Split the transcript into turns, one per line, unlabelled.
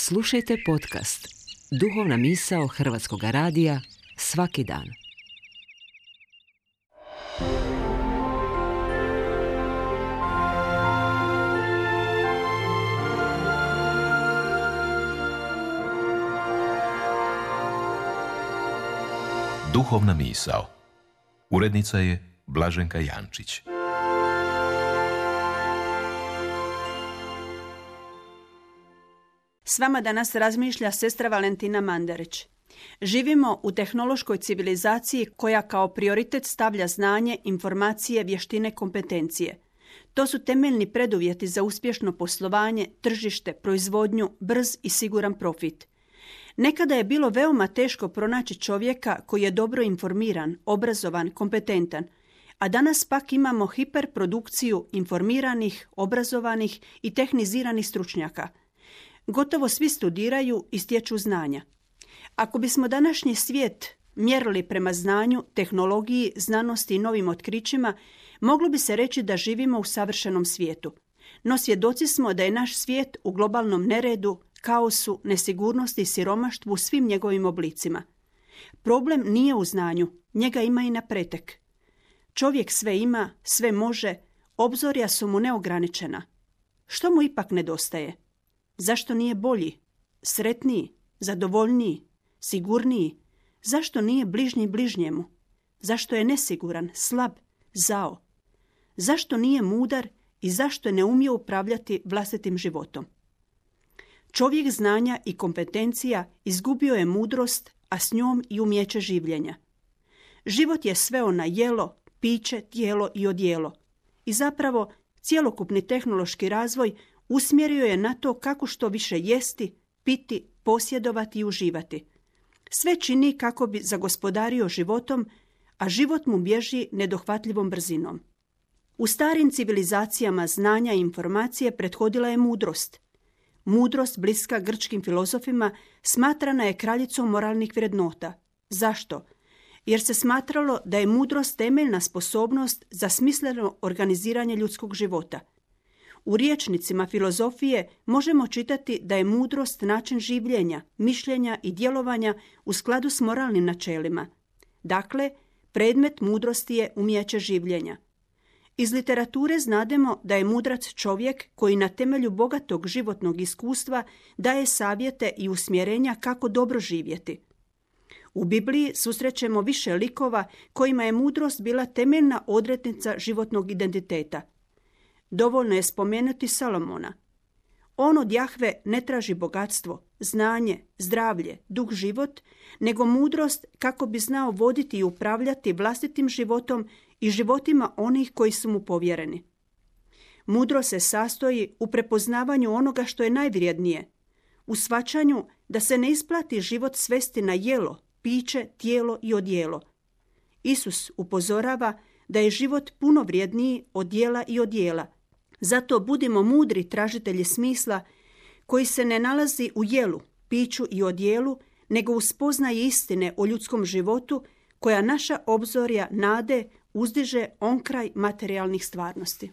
Slušajte podcast Duhovna misao Hrvatskog radija svaki dan.
Duhovna misao. Urednica je Blaženka Jančić.
S vama danas razmišlja sestra Valentina Mandarić. Živimo u tehnološkoj civilizaciji koja kao prioritet stavlja znanje, informacije, vještine, kompetencije. To su temeljni preduvjeti za uspješno poslovanje, tržište, proizvodnju, brz i siguran profit. Nekada je bilo veoma teško pronaći čovjeka koji je dobro informiran, obrazovan, kompetentan, a danas pak imamo hiperprodukciju informiranih, obrazovanih i tehniziranih stručnjaka. Gotovo svi studiraju i stječu znanja. Ako bismo današnji svijet mjerili prema znanju, tehnologiji, znanosti i novim otkrićima, moglo bi se reći da živimo u savršenom svijetu. No svjedoci smo da je naš svijet u globalnom neredu, kaosu, nesigurnosti i siromaštvu u svim njegovim oblicima. Problem nije u znanju, njega ima i na pretek. Čovjek sve ima, sve može, obzorja su mu neograničena. Što mu ipak nedostaje? Zašto nije bolji, sretniji, zadovoljniji, sigurniji? Zašto nije bližnji bližnjemu? Zašto je nesiguran, slab, zao? Zašto nije mudar i zašto ne umije upravljati vlastitim životom? Čovjek znanja i kompetencija izgubio je mudrost, a s njom i umijeće življenja. Život je sveo na jelo, piće, tijelo i odjelo. I zapravo cjelokupni tehnološki razvoj usmjerio je na to kako što više jesti, piti, posjedovati i uživati. Sve čini kako bi zagospodario životom, a život mu bježi nedohvatljivom brzinom. U starim civilizacijama znanja i informacije prethodila je mudrost. Mudrost, bliska grčkim filozofima, smatrana je kraljicom moralnih vrednota. Zašto? Jer se smatralo da je mudrost temeljna sposobnost za smisleno organiziranje ljudskog života. U rječnicima filozofije možemo čitati da je mudrost način življenja, mišljenja i djelovanja u skladu s moralnim načelima. Dakle, predmet mudrosti je umijeće življenja. Iz literature znademo da je mudrac čovjek koji na temelju bogatog životnog iskustva daje savjete i usmjerenja kako dobro živjeti. U Bibliji susrećemo više likova kojima je mudrost bila temeljna odrednica životnog identiteta. Dovoljno je spomenuti Salomona. On od Jahve ne traži bogatstvo, znanje, zdravlje, dug život, nego mudrost kako bi znao voditi i upravljati vlastitim životom i životima onih koji su mu povjereni. Mudrost se sastoji u prepoznavanju onoga što je najvrijednije, u shvaćanju da se ne isplati život svesti na jelo, piće, tijelo i odjelo. Isus upozorava da je život puno vrijedniji od jela i odjela. Zato budimo mudri tražitelji smisla koji se ne nalazi u jelu, piću i odjelu, nego u spoznaji istine o ljudskom životu koja naša obzorja nade uzdiže onkraj materijalnih stvarnosti.